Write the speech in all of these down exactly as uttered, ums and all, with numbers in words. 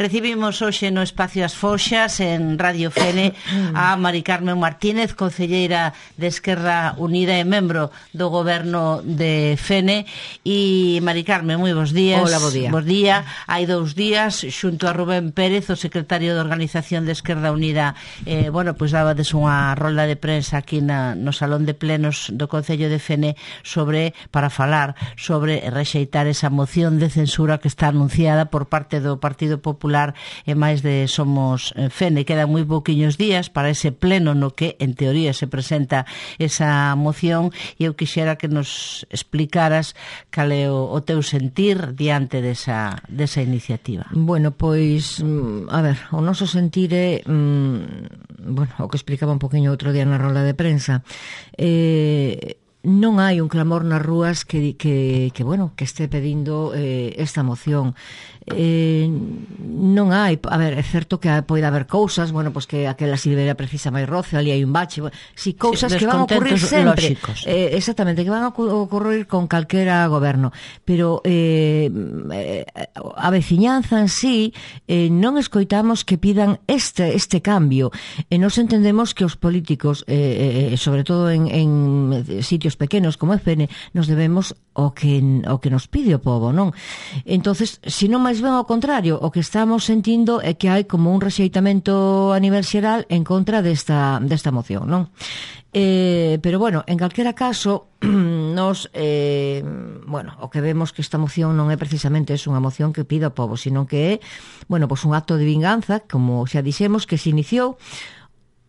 Recibimos hoxe no Espacio As Foxas en Radio Fene a Mari Carmen Martínez, concelleira de Esquerda Unida e membro do goberno de Fene. E Mari Carmen, moi bons días. Hola, bo día. Bos día. Hai dous días, xunto a Rubén Pérez, o secretario de Organización de Esquerda Unida, eh, bueno, pois dábades unha rolda de prensa aquí na, no Salón de Plenos do Concello de Fene sobre, para falar sobre rexeitar esa moción de censura que está anunciada por parte do Partido Popular e máis de Somos Fene. Quedan moi pouquiños días para ese pleno no que en teoría se presenta esa moción, e eu quixera que nos explicaras cal é o, o teu sentir diante desa, desa iniciativa. Bueno, pois, a ver, o noso sentir é, mm, bueno, o que explicaba un poquinho outro día na roda de prensa, eh, non hai un clamor nas rúas que, que, que bueno, que este pedindo eh, esta moción. Eh, non hai, a ver, é certo que pode haber cousas, bueno, pois que aquela silveira precisa máis roce, ali hai un bache, bueno, si cousas sí, que van a ocurrir sempre, eh, exactamente, que van a ocurrir con calquera goberno, pero eh, a veciñanza en sí eh, non escoitamos que pidan este este cambio, e nos entendemos que os políticos, eh, eh, sobre todo en, en sitios pequenos como é Fene, nos debemos o que, o que nos pide o povo, non? Entonces, se non máis ben ao contrario, o que estamos sentindo é que hai como un rexeitamento a nivel xeral en contra desta, desta moción, non? Eh, pero bueno, en calquera caso, nos, eh, bueno, o que vemos que esta moción non é precisamente es unha moción que pida ao povo, sino que é, bueno, pues un acto de vinganza, como xa dixemos, que se iniciou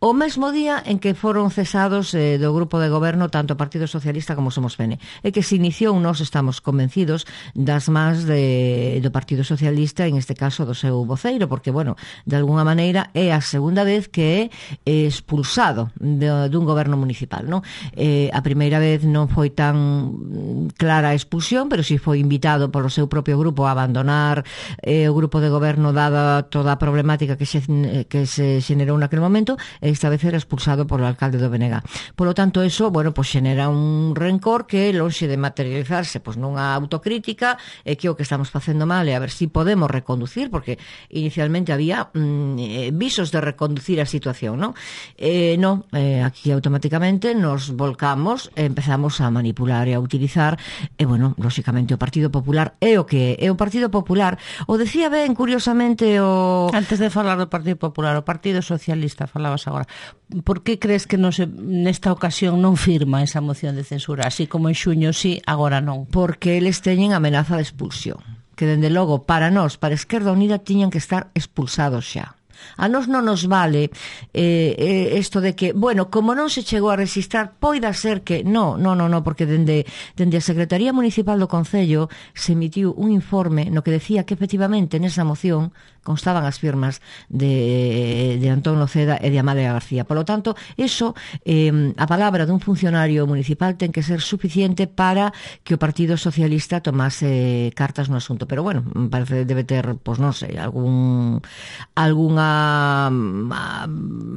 o mesmo día en que foron cesados eh, do grupo de goberno tanto o Partido Socialista como Somos Fene, e que se iniciou, nós estamos convencidos, das mans de, do Partido Socialista, en este caso do seu voceiro, porque, bueno, de alguna maneira é a segunda vez que é expulsado de, dun goberno municipal, non? Eh, a primeira vez non foi tan clara a expulsión, pero si foi invitado polo seu propio grupo a abandonar eh, o grupo de goberno dada toda a problemática que se, que se xenerou naquele momento, e esta vez era expulsado polo alcalde do B N G. Polo tanto, eso, bueno, pues xenera un rencor que, lonxe de materializarse pues nunha autocrítica, é que o que estamos facendo mal é a ver si podemos reconducir, porque inicialmente había mm, visos de reconducir a situación, non? Eh, non, eh, aquí automáticamente nos volcamos, empezamos a manipular e a utilizar, e, bueno, lóxicamente o Partido Popular é o que é. O Partido Popular, o decía ben, curiosamente, o... Antes de falar do Partido Popular, o Partido Socialista, falabas agora. Por que crees que non se, nesta ocasión non firma esa moción de censura? Así como en xuño sí, agora non. Porque eles teñen amenaza de expulsión, que dende logo para nós, para Esquerda Unida, tiñan que estar expulsados xa. A nós non nos vale eh, eh, isto de que, bueno, como non se chegou a registrar, poida ser que no, no, no, no, porque dende, dende a Secretaría Municipal do Concello se emitiu un informe no que decía que efectivamente nesa moción constaban as firmas de, de Antón Noceda e de Amalia García. Por lo tanto, eso, eh, a palabra dun funcionario municipal ten que ser suficiente para que o Partido Socialista tomase cartas no asunto. Pero bueno, parece debe ter, pois non sei, algún algunha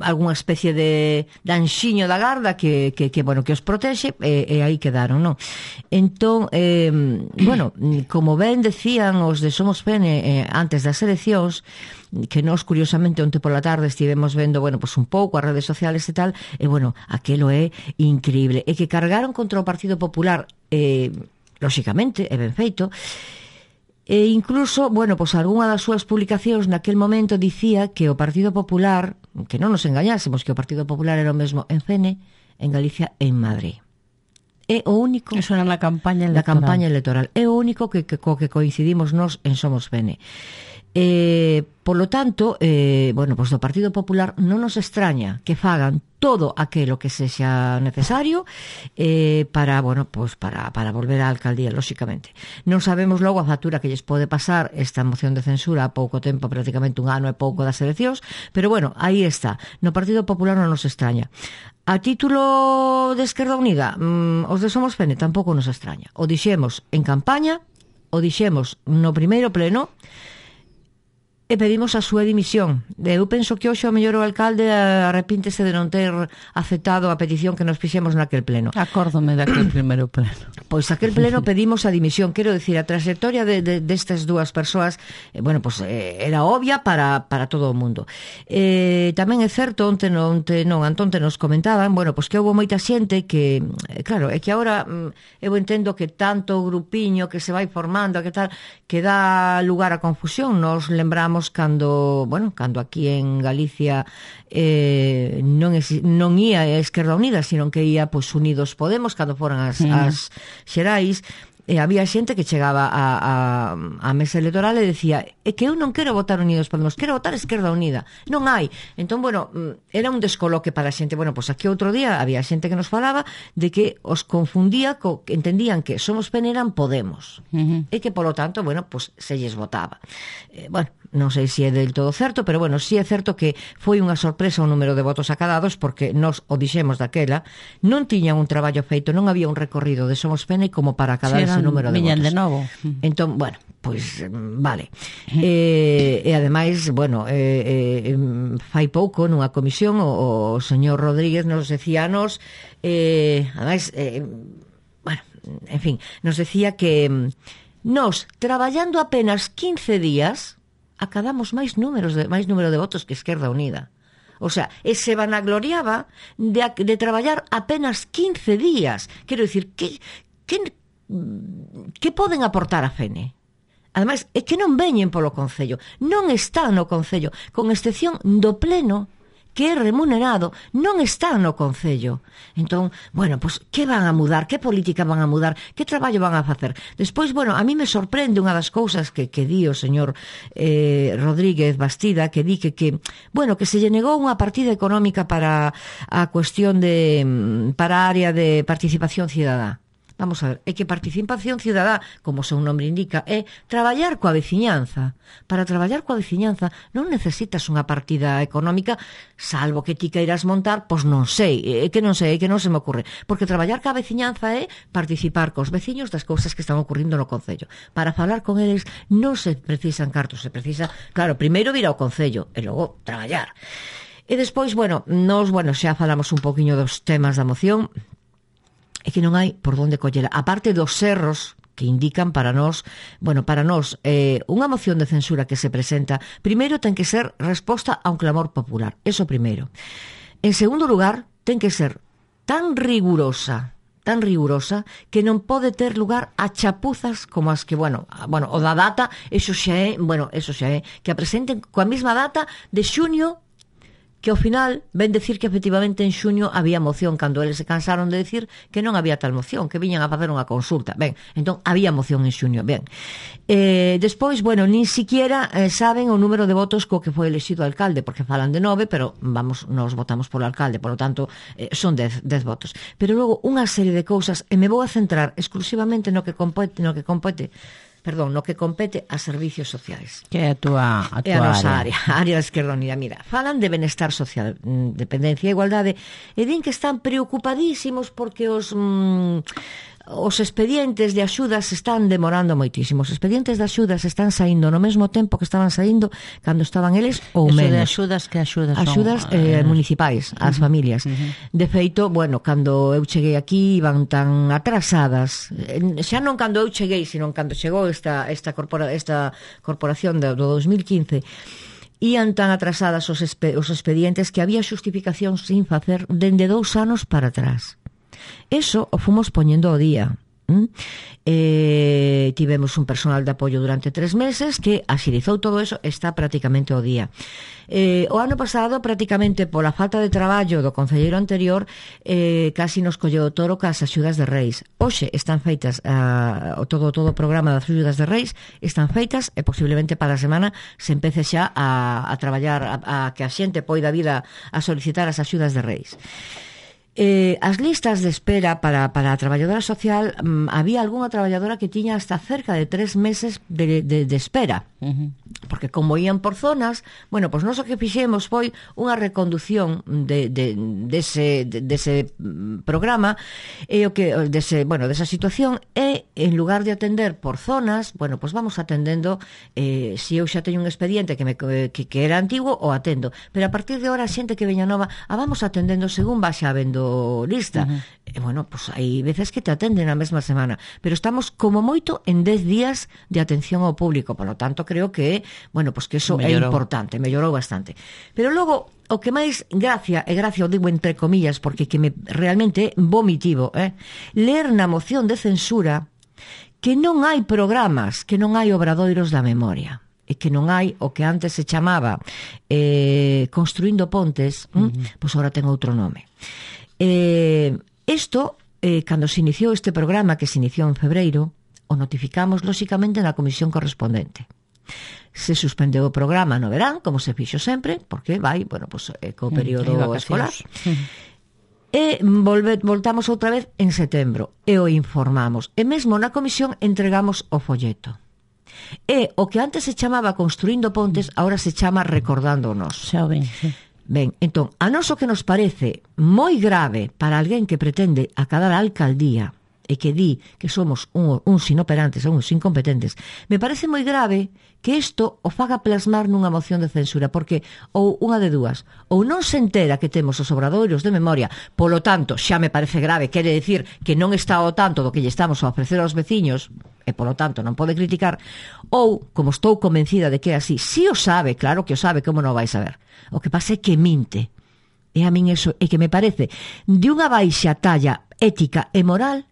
algunha especie de, de anxiño da garda que, que, que bueno, que os protexe, e, e aí quedaron, non? Entón, eh, bueno, como ben decían os de Somos Fene eh, antes das eleccións, que nós, curiosamente, onte pola tarde estivemos vendo, bueno, pues un pouco as redes sociales e tal, e, bueno, aquelo é increíble. E que cargaron contra o Partido Popular, eh, lóxicamente, é ben feito, e incluso, bueno, pues algunha das súas publicacións naquel momento dicía que o Partido Popular, que non nos engañásemos, que o Partido Popular era o mesmo en Fene, en Galicia e en Madrid. É o único... Eso era na campaña electoral. Na campaña electoral. É o único que, que, co que coincidimos nós en Somos Fene. Eh, por lo tanto, eh, bueno, pues do Partido Popular non nos extraña que fagan todo aquilo que sexa necesario eh, para, bueno, pues para, para volver á alcaldía, lóxicamente. Non sabemos logo a factura que lles pode pasar esta moción de censura a pouco tempo, prácticamente un ano e pouco das eleccións, pero bueno, aí está. No Partido Popular non nos extraña. A título de Esquerda Unida, mmm, os de Somos Fene tampouco nos extraña. O dixemos en campaña, o dixemos no primeiro pleno, e, bueno, aquilo é increíble. E que cargaron contra o Partido Popular, eh, antes das eleccións, eh, bueno, como ben decían os de Somos Fene, antes das eleccións, eh, sempre teñen amenaza de expulsión. Que dende logo para nós, para Esquerda Unida, tiñan que estar expulsados xa. A nós non nos vale eh, isto de que, bueno, como non se chegou a registrar, poida ser que no, e pedimos a súa dimisión. Eu penso que hoxe o mellor o alcalde arrepíntese de non ter aceptado a petición que nos fixemos naquel pleno. Acórdome daquel primeiro pleno. Pois aquel pleno pedimos a dimisión. Quero decir, a trayectoria de, de, destas dúas persoas, eh, bueno, pues, eh, era obvia para, para todo o mundo. Eh, tamén é certo, onte non, onte, non, antonte nos comentaban, bueno, pues que houve moita xente que, eh, claro, é que agora eu entendo que tanto grupiño que se vai formando, que tal, que dá lugar a confusión. Nos lembramos cando, bueno, cando aquí en Galicia eh, non, es, non ia a Esquerda Unida, sino que ia, pois, Unidos Podemos, cando foran as, mm. as xerais, e había xente que chegaba a, a, a mesa electoral e decía, é que eu non quero votar Unidos Podemos, quero votar Esquerda Unida. Non hai. Entón, bueno, era un descoloque para a xente. Bueno, pois aquí outro día había xente que nos falaba de que os confundía, co, que entendían que Somos P N eran Podemos. Uh-huh. E que, polo tanto, bueno, pois se lles votaba. Eh, bueno, non sei se é del todo certo, pero bueno, si é certo que foi unha sorpresa o número de votos acadados, porque nos o dixemos daquela, non tiñan un traballo feito, non había un recorrido de Somos P N como para acadar sí, ese número de votos. De novo. Entón, bueno, pois, vale. E, e ademais, bueno, eh, eh, fai pouco nunha comisión o, o señor Rodríguez nos decía a nos, eh, ademais, eh, bueno, en fin, nos decía que nos, traballando apenas quince días, acadamos máis números de, máis número de votos que Esquerda Unida. O sea, e se vanagloriaba de, de traballar apenas quince días. Quero dicir, que, que, que poden aportar a F N? Ademais, é que non veñen polo Concello. Non están no Concello, con excepción do pleno, que é remunerado, non está no Concello. Entón, bueno, pues, que van a mudar? Que política van a mudar? Que traballo van a facer? Despois, bueno, a mí me sorprende unha das cousas que, que di o señor eh, Rodríguez Bastida, que di que, que, bueno, que se lle negou unha partida económica para a cuestión de, para a área de participación cidadá. Vamos a ver, é que participación cidadá, como o seu nome indica, é traballar coa veciñanza. Para traballar coa veciñanza non necesitas unha partida económica, salvo que ti queiras montar, pois non sei, é que non sei, é que non se me ocurre. Porque traballar coa veciñanza é participar cos veciños das cousas que están ocurrindo no Concello. Para falar con eles non se precisan cartos, se precisa, claro, primeiro vir ao Concello e logo traballar. E despois, bueno, nos, bueno, xa falamos un poquinho dos temas da moción. É que non hai por onde collera. A parte dos erros que indican para nós, bueno, para nós, eh, unha moción de censura que se presenta, primeiro ten que ser resposta a un clamor popular. Eso primeiro. En segundo lugar, ten que ser tan rigurosa, tan rigurosa, que non pode ter lugar a chapuzas como as que, bueno, bueno, o da data, eso xa é, bueno, eso xa é, que a presenten coa mesma data de xuño, que ao final ven decir que efectivamente en xuño había moción, cando eles se cansaron de decir que non había tal moción, que viñan a facer unha consulta. Ben, entón había moción en xuño. Ben, eh, despois, bueno, nin siquiera eh, saben o número de votos co que foi elexido alcalde, porque falan de nove, pero vamos, nos votamos polo alcalde, polo tanto eh, son dez, dez votos. Pero logo unha serie de cousas, e me vou a centrar exclusivamente no que compete, no que compete perdón, no que compete a servicios sociais. Que é a túa, a túa é a nosa área. área, a área da Esquerda Unida. Mira, falan de benestar social, dependencia e igualdade, e din que están preocupadísimos porque os... Mm, os expedientes de axudas están demorando moitísimo. Os expedientes de axudas están saindo no mesmo tempo que estaban saindo cando estaban eles ou Eso menos. De axudas, que axudas son? Axudas eh, municipais, ás uh-huh, familias. Uh-huh. De feito, bueno, cando eu cheguei aquí iban tan atrasadas, xa non cando eu cheguei, sino cando chegou esta esta corpora, esta corporación do, do dos mil quince, ian tan atrasadas os, espe, os expedientes que había xustificación sin facer dende dous anos para atrás. Eso o fomos poñendo ao día. ¿Mm? Eh, tivemos un personal de apoio durante tres meses que axilizou todo eso, está prácticamente ao día. Eh, o ano pasado, prácticamente pola falta de traballo do concelleiro anterior, eh, casi nos colleu o toro cas axudas de Reis. Hoxe están feitas uh, todo todo o programa das axudas de Reis, están feitas e posiblemente para a semana se empece xa a, a traballar a, a que a xente poida vir a, a solicitar as axudas de Reis. Eh, as listas de espera para, para a traballadora social, um, había algunha traballadora que tiña hasta cerca de tres meses de, de, de espera. Uh-huh. porque como ían por zonas, bueno, pois nós o que fixemos foi unha recondución de, de, dese, de, dese programa e o que dese, bueno, desa situación e en lugar de atender por zonas, bueno, pois vamos atendendo eh, se eu xa teño un expediente que, me, que, que era antigo o atendo, pero a partir de ahora a xente que veña nova a vamos atendendo según vaxa habendo lista. Uh-huh. E bueno, pois hai veces que te atenden a mesma semana, pero estamos como moito en dez días de atención ao público, por lo tanto creo que bueno, pois que iso é importante, mellorou bastante. Pero logo, o que máis gracia, e gracia o digo entre comillas, porque que me realmente é vomitivo, eh? ler na moción de censura que non hai programas, que non hai obradoiros da memoria, e que non hai o que antes se chamaba eh, Construindo Pontes, uh-huh. hm? pois agora ten outro nome. Eh, isto, eh, cando se iniciou este programa, que se iniciou en febreiro, o notificamos, lóxicamente, na comisión correspondente. Se suspendeu o programa no verán, como se fixo sempre, porque vai, bueno, pues, eh, co período mm, escolar. E volve, voltamos outra vez en setembro, e o informamos. E mesmo na comisión entregamos o folleto. E o que antes se chamaba Construindo Pontes, agora se chama Recordándonos. Xa ben, sí. Ben, entón, a nos o que nos parece moi grave para alguén que pretende acadar a alcaldía e que di que somos un, uns inoperantes ou uns incompetentes, me parece moi grave que isto o faga plasmar nunha moción de censura, porque ou unha de dúas, ou non se entera que temos os obradoiros de memoria, polo tanto, xa me parece grave, quere decir que non está ao tanto do que lle estamos a ofrecer aos veciños, e polo tanto non pode criticar, ou, como estou convencida de que é así, si o sabe, claro que o sabe, como non o vai saber. O que pasa é que minte. E a min eso é que me parece de unha baixa talla ética e moral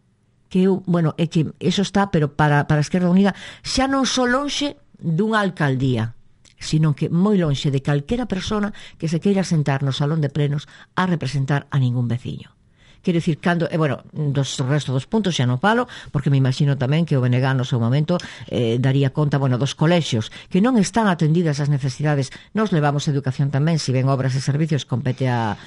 que eu, bueno, é que eso está, pero para, para a Esquerda Unida xa non só lonxe dunha alcaldía, sino que moi lonxe de calquera persona que se queira sentar no salón de plenos a representar a ningún veciño. Quero dicir, cando, e, bueno, dos resto dos puntos xa non falo, porque me imagino tamén que o B N G no seu momento eh, daría conta, bueno, dos colexios, que non están atendidas as necesidades. Nos levamos educación tamén, se ven obras e servicios, compete a...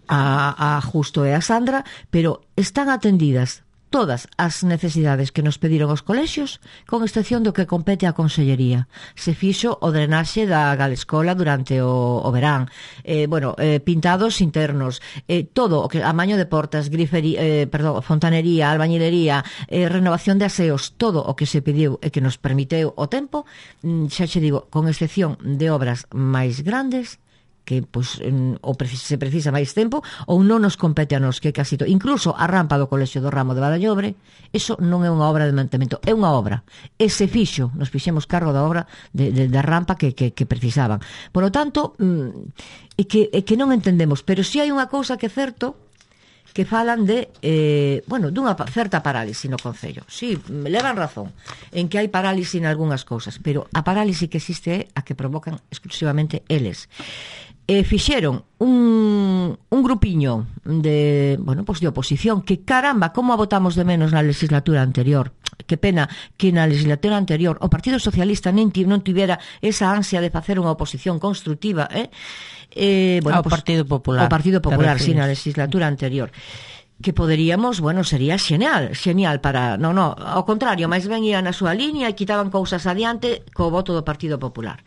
A, a Justo e a Sandra, pero están atendidas todas as necesidades que nos pediron os colexios, con excepción do que compete á Consellería. Se fixo o drenaxe da Galescola durante o, o verán, eh, bueno, eh, pintados internos, eh, todo o que amaño de portas, grifería, eh, perdón, fontanería, albañilería, eh, renovación de aseos, todo o que se pediu e que nos permiteu o tempo, xa che digo, con excepción de obras máis grandes, que pois, ou se precisa máis tempo ou non nos compete a nos, que casi to. Incluso a rampa do Colexio do Ramo de Badallobre, eso non é unha obra de mantemento, é unha obra, e se fixo, nos fixemos cargo da obra de, de, da rampa que, que, que precisaban. Por lo tanto, é que, é que non entendemos, pero si hai unha cousa que é certo, que falan de, eh, bueno, dunha certa parálise no Concello. Si, sí, levan razón en que hai parálise en algunhas cousas, pero a parálise que existe é a que provocan exclusivamente eles. E fixeron un, un grupiño de, bueno, pues de oposición que, caramba, como a votamos de menos na legislatura anterior. Que pena que na legislatura anterior o Partido Socialista non tivera esa ansia de facer unha oposición constructiva, eh? Eh, bueno, ao pues, Partido Popular. O Partido Popular, sí, na legislatura anterior. Que poderíamos, bueno, sería xenial, xenial para... Non, non, ao contrario, máis ben ian na súa línea e quitaban cousas adiante co voto do Partido Popular.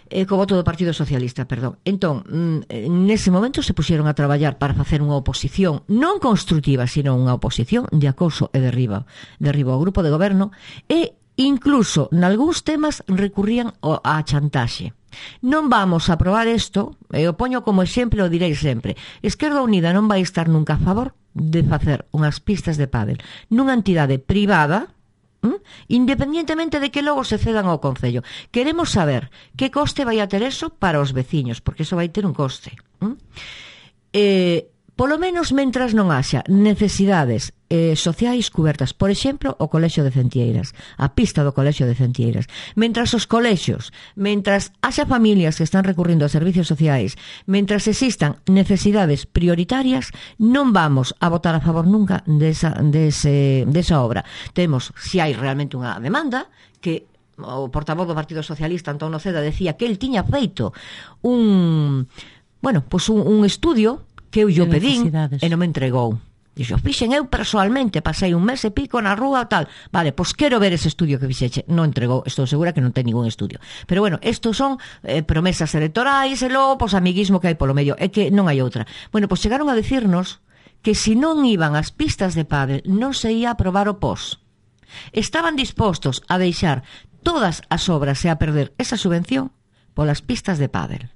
Eh, co voto do Partido Socialista, perdón. Entón, nese momento se puxeron a traballar para facer unha oposición non construtiva, sino unha oposición de acoso e derriba, derriba ao grupo de goberno, e incluso nalgúns temas recurrían á chantaxe. Non vamos a aprobar isto, e o poño como exemplo, o direi sempre. Esquerda Unida non vai estar nunca a favor de facer unhas pistas de pádel nunha entidade privada, ¿Mm? independientemente de que logo se cedan ao Concello. Queremos saber que coste vai a ter eso para os veciños, porque eso vai ter un coste. ¿Mm? Eh, polo menos mentras non haxa necesidades eh, sociais cubertas, por exemplo, o Colexio de Centieiras, a pista do Colexio de Centieiras. Mentras os colexios, mentras haxa familias que están recurrindo a servicios sociais, mentras existan necesidades prioritarias, non vamos a votar a favor nunca desa, dese, desa obra. Temos, se hai realmente unha demanda, que o portavoz do Partido Socialista, Antón Noceda, decía que el tiña feito un, bueno, pues un, un estudio que eu yo pedín e non me entregou. Dixo, fixen eu persoalmente, pasei un mes e pico na rúa tal. Vale, pois quero ver ese estudio que fixeche. Non entregou, estou segura que non ten ningún estudio. Pero bueno, estos son eh, promesas electorais e logo, pois, amiguismo que hai polo medio. É que non hai outra. Bueno, pois chegaron a decirnos que se non iban as pistas de pádel non se ia aprobar o P O S. Estaban dispostos a deixar todas as obras e a perder esa subvención polas pistas de pádel.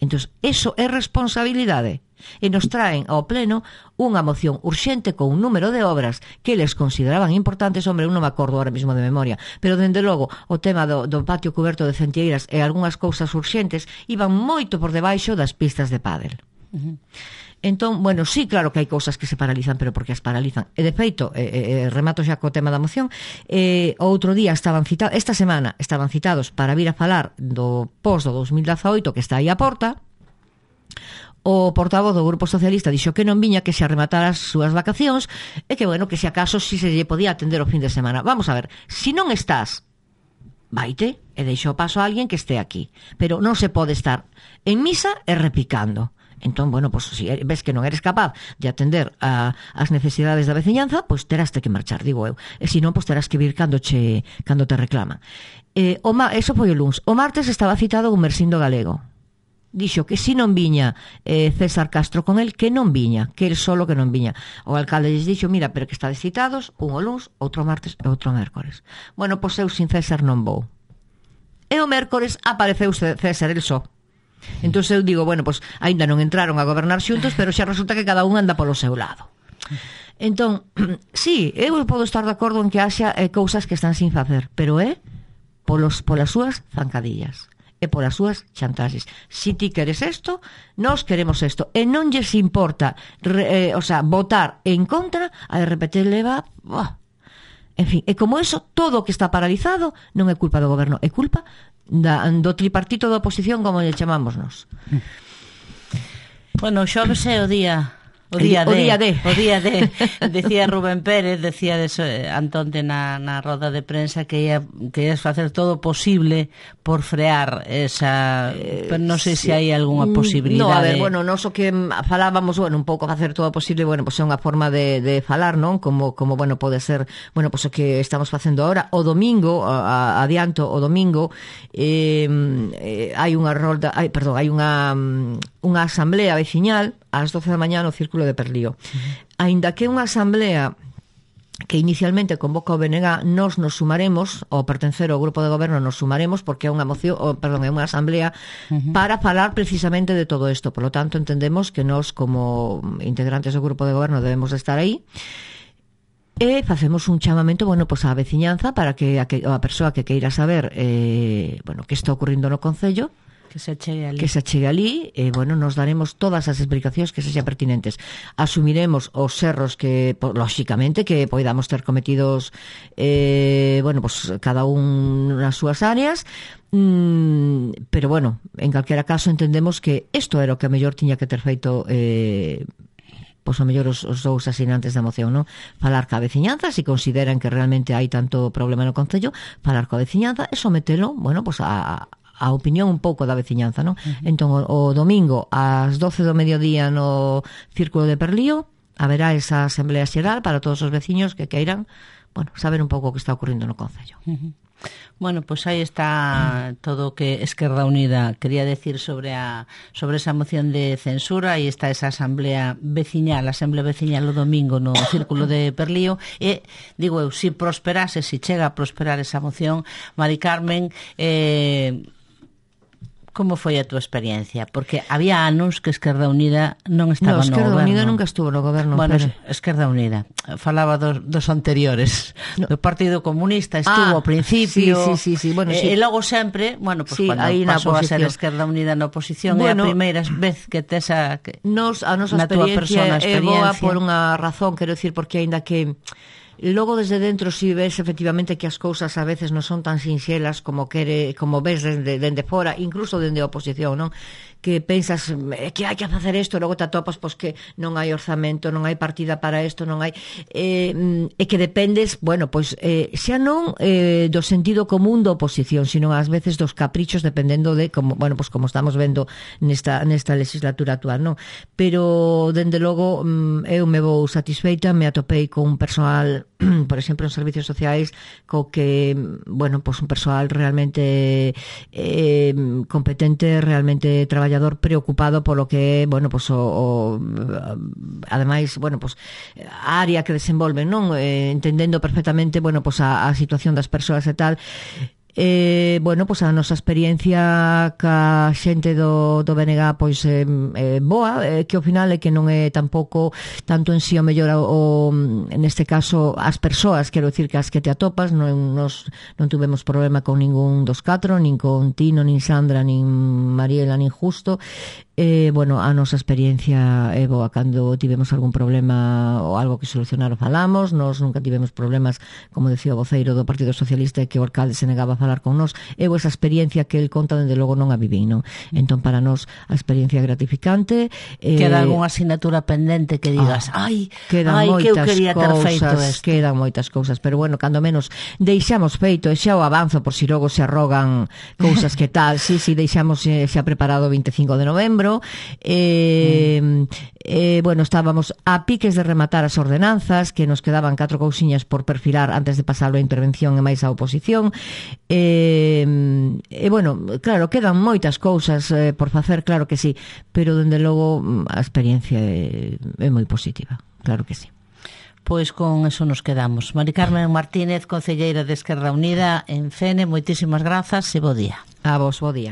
Entón, eso é responsabilidade. E nos traen ao pleno unha moción urxente con un número de obras que eles consideraban importantes. Hombre, eu non me acordo ahora mismo de memoria, pero dende logo o tema do, do patio cuberto de Centieiras e algunhas cousas urxentes iban moito por debaixo das pistas de pádel. Uh-huh. Entón, bueno, sí, claro que hai cousas que se paralizan, pero porque as paralizan. E de feito, eh, eh, remato xa co tema da moción, eh, outro día estaban citados, esta semana estaban citados para vir a falar do post do dos mil dezaoito que está aí á porta. O portavoz do Grupo Socialista dixo que non viña, que se arrematara as súas vacacións e que, bueno, que se acaso si se lle podía atender o fin de semana. Vamos a ver, si non estás, vaite e deixo paso a alguén que este aquí. Pero non se pode estar en misa e repicando. Entón, bueno, pues, si ves que non eres capaz de atender a, as necesidades da veciñanza, pois pues terás que marchar, digo eu. E se non, pois pues terás que vir cando, che, cando te reclaman. Eh, o ma, eso foi o luns. O martes estaba citado un Mersindo Galego. Dixo que si non viña eh, César Castro con el, que non viña, que el solo que non viña. O alcalde lles dixo, mira, pero que estades citados, un o luns, outro martes e outro mércores. Bueno, pois eu sin César non vou. E o mércores apareceu César el só. Entón eu digo, bueno, pois aínda non entraron a gobernar xuntos, pero xa resulta que cada un anda polo seu lado. Entón, sí, eu podo estar de acordo en que haxa eh, cousas que están sin facer, pero é polos, polas súas zancadillas e polas súas chantaxes. Si ti queres isto, nós queremos isto. E non lles importa re, eh, o sea, votar en contra, a de repente leva... Oh. En fin, e como eso, todo o que está paralizado non é culpa do goberno, é culpa da, do tripartito da oposición, como lle chamamos nós. Bueno, xoves é o día... O día, o de, día de o día de decía Rubén Pérez, decía de eso, Antonte na, na roda de prensa que ia, que ia facer todo posible por frear esa, eh, pero non sei sí. se hai algunha posibilidade. No, a ver, bueno, nós o que falábamos, bueno, un pouco facer todo posible, bueno, pois pues é unha forma de, de falar, non? Como, como bueno, pode ser, bueno, pois pues o que estamos facendo agora, o domingo, a, a, adianto, o domingo eh, eh, hai unha rolda, hai, perdón, hai unha unha asamblea veciñal ás doce da mañá no Círculo de Perlío. Uh-huh. Aínda que unha asamblea que inicialmente convoca o B N G, nós nos sumaremos, ao pertencer ao grupo de goberno nos sumaremos, porque é unha moción, oh, perdón, é unha asamblea uh-huh. para falar precisamente de todo isto. Por lo tanto, entendemos que nós, como integrantes do grupo de goberno, debemos de estar aí. E facemos un chamamento, bueno, pois á veciñanza para que a, que, a persoa que queira saber eh, bueno, que está ocurrindo no concello, que se chegue ali. Que se chegue ali, e, bueno, nos daremos todas as explicacións que sexan pertinentes. Asumiremos os erros que, lóxicamente, que poidamos ter cometidos, eh, bueno, pues cada un nas súas áreas, mm, pero, bueno, en calquera caso entendemos que isto era o que a mellor tiña que ter feito... Eh, pois a mellor os, os dous asinantes da moción, non? Falar ca veciñanza, se consideran que realmente hai tanto problema no concello, falar coa veciñanza e sometelo, bueno, pois a... a opinión un pouco da veciñanza, non? Uh-huh. Entón, o, o domingo, ás doce do mediodía no Círculo de Perlío, haberá esa asamblea xeral para todos os veciños que queiran, bueno, saber un pouco o que está ocurrindo no concello. Uh-huh. Bueno, pois pues aí está todo o que Esquerda Unida quería decir sobre a sobre esa moción de censura. Aí está esa asamblea veciñal, a asamblea veciñal o domingo no Círculo de Perlío. E, digo eu, se prosperase, se chega a prosperar esa moción, Mari Carmen, eh... como foi a túa experiencia? Porque había anos que Esquerda Unida non estaba no, no Esquerda goberno. Unida nunca estuvo no goberno. Bueno, pero... Esquerda Unida. Falaba dos, dos anteriores. No. Do Partido Comunista estuvo ah, ao principio. Sí, sí, sí, sí. Bueno, e, sí. e logo sempre, bueno, pues sí, cuando pasou a ser Esquerda Unida na oposición, bueno, é a primeira vez que tes a... Que, nos, a nosa experiencia, experiencia é boa por unha razón, quero dicir, porque aínda que... Logo desde dentro si ves efectivamente que as cousas a veces non son tan sinxelas como quere, como ves dende, dende fora, incluso dende a oposición, non? que pensas eh, que hai que facer isto, logo te atopas pois que non hai orzamento, non hai partida para isto, non hai eh, e que dependes, bueno, pois eh, xa non eh, do sentido común da oposición, sino ás veces dos caprichos dependendo de como, bueno, pois como estamos vendo nesta nesta legislatura actual, non? Pero dende logo eu me vou satisfeita, me atopei con un persoal, por exemplo, en servicios sociais, co que, bueno, pois un persoal realmente eh, competente, realmente traballador, preocupado polo que, bueno, pois o, o ademais, bueno, pois a área que desenvolven, non? Eh, entendendo perfectamente, bueno, pois a, a situación das persoas e tal. Eh, bueno, pois a nosa experiencia ca xente do, do B N G pois é eh, eh, boa, eh, que ao final é que non é tampouco tanto en si o mellor o, neste caso as persoas, quero dicir que as que te atopas non, nos, non tuvemos problema con ningún dos catro, nin con Tino, nin Sandra, nin Mariela, nin Justo. Eh, bueno, a nosa experiencia é boa. Cando tivemos algún problema ou algo que solucionar o falamos, nos nunca tivemos problemas, como decía o voceiro do Partido Socialista, que o alcalde se negaba a falar con nós. Eu esa experiencia que el conta, dende logo non a viví, non? Entón, para nós, a experiencia é gratificante. Eh, queda algunha asignatura pendente que digas, ah, ai, quedan ai, que eu quería ter cousas, feito isto. Quedan moitas cousas, pero bueno, cando menos deixamos feito, e xa o avanzo por si logo se arrogan cousas que tal, sí, sí, deixamos xa preparado o vinte e cinco de novembro. Eh, mm. eh, bueno, estábamos a piques de rematar as ordenanzas, que nos quedaban catro cousiñas por perfilar antes de pasarlo a intervención e máis a oposición. E eh, eh, bueno, claro, quedan moitas cousas eh, por facer, claro que sí, pero dende logo a experiencia é, é moi positiva, claro que sí. Pois con eso nos quedamos. Mari Carmen Martínez, concelleira de Esquerda Unida en Fene, moitísimas grazas e bo día. A vos, bo día.